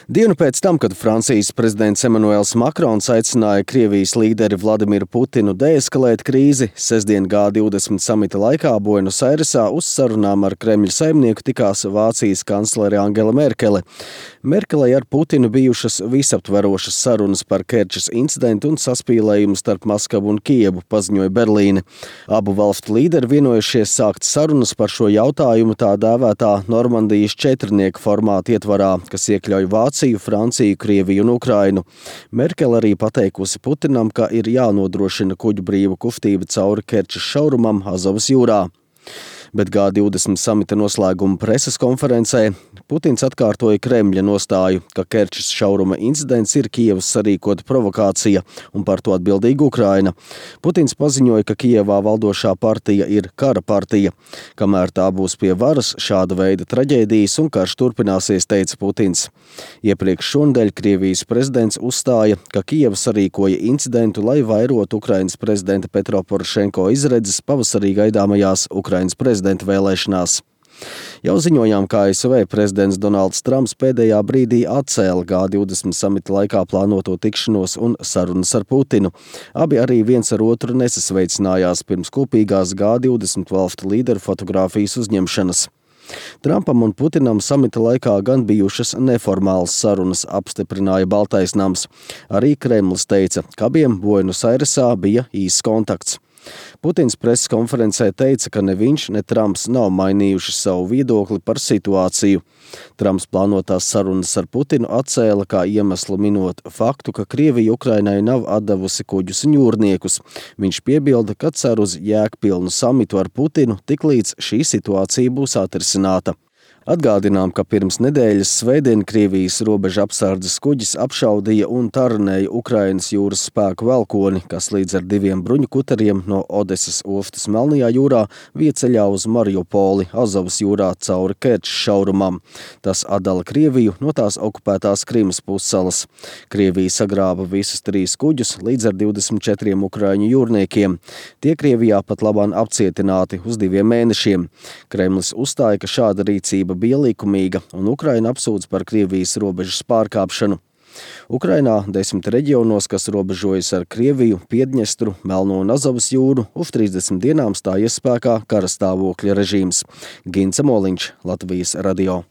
Dienu pēc tam, kad Francijas prezidents Emanuels Makrons aicināja Krievijas līderi Vladimiru Putinu deeskalēt krīzi, sestdien G20 samita laikā Buenos Airesā uz sarunām ar Kremļa saimnieku tikās Vācijas kanclere Angela Merkele. Merkelei ar Putinu bijušas visaptverošas sarunas par Kerčes incidentu un saspīlējumu starp Maskavu un Kijevu, paziņoja Berlīne. Abu valstu līderi vienojušies sākt sarunas par šo jautājumu tā dēvētā Normandijas četrnieku formāta ietvarā, kas iekļauj Vāciju, Franciju, Krieviju un Ukrainu. Merkele arī pateikusi Putinam, ka ir jānodrošina kuģu brīva kustība cauri Kerčes šaurumam Azovas jūrā. Bet G20 samita noslēguma preses konferencē Putins atkārtoja Kremļa nostāju, ka Kerčes šauruma incidents ir Kijevas sarīkota provokācija un par to atbildīga Ukraina. Putins paziņoja, ka Kijevā valdošā partija ir kara partija. Kamēr tā būs pie varas, šāda veida traģēdijas un karš turpināsies, teica Putins. Iepriekš šonedēļ Krievijas prezidents uzstāja, ka Kijeva sarīkoja incidentu, lai vairotu Ukrainas prezidenta Petro Porošenko izredzes pavasarī gaidāmajās Ukrainas prezidenta vēlēšanās. Jau ziņojām, ka ASV prezidents Donalds Trumps pēdējā brīdī atcēla G20 samita laikā plānoto tikšanos un sarunas ar Putinu. Abi arī viens ar otru nesasveicinājās pirms kopīgās G20 valstu līderu fotogrāfijas uzņemšanas. Trumpam un Putinam samita laikā gan bijušas neformālas sarunas, apstiprināja Baltais nams. Arī Kremlis teica, ka abiem Buenos Airesā bija īss kontakts. Putins preses konferencē teica, ka ne viņš, ne Trumps nav mainījuši savu viedokli par situāciju. Trumps plānotās sarunas ar Putinu atcēla kā iemeslu minot faktu, ka Krievija Ukrainai nav atdevusi kuģus un jūrniekus. Viņš piebilda, ka cer uz jēgpilnu samitu ar Putinu, tiklīdz šī situācija būs atrisināta. Atgādinām, ka pirms nedēļas svētdien Krievijas robeža apsardzes kuģis apšaudīja un taranēja Ukrainas jūras spēku velkoni, kas līdz ar 2 bruņu kuteriem no Odesas ostas Melnajā jūrā vieceļā uz Mariupoli, Azovas jūrā cauri Kerčes šaurumam. Tas atdala Krieviju no tās okupētās Krimas pussalas. Krievija sagrāba visus 3 kuģus līdz ar 24 ukraiņu jūrniekiem. Tie Krievijā pat labāk apcietināti uz 2 mēnešiem. Kremlis uzstāja, ka šāda rīcība bija likumīga, un Ukraina apsūdz par Krievijas robežas pārkāpšanu. Ukrainā 10 reģionos, kas robežojas ar Krieviju, Piedņestru, Melno un Azovas jūru, uz 30 dienām stājies spēkā karastāvokļa režīms. Gints Moliņš, Latvijas radio.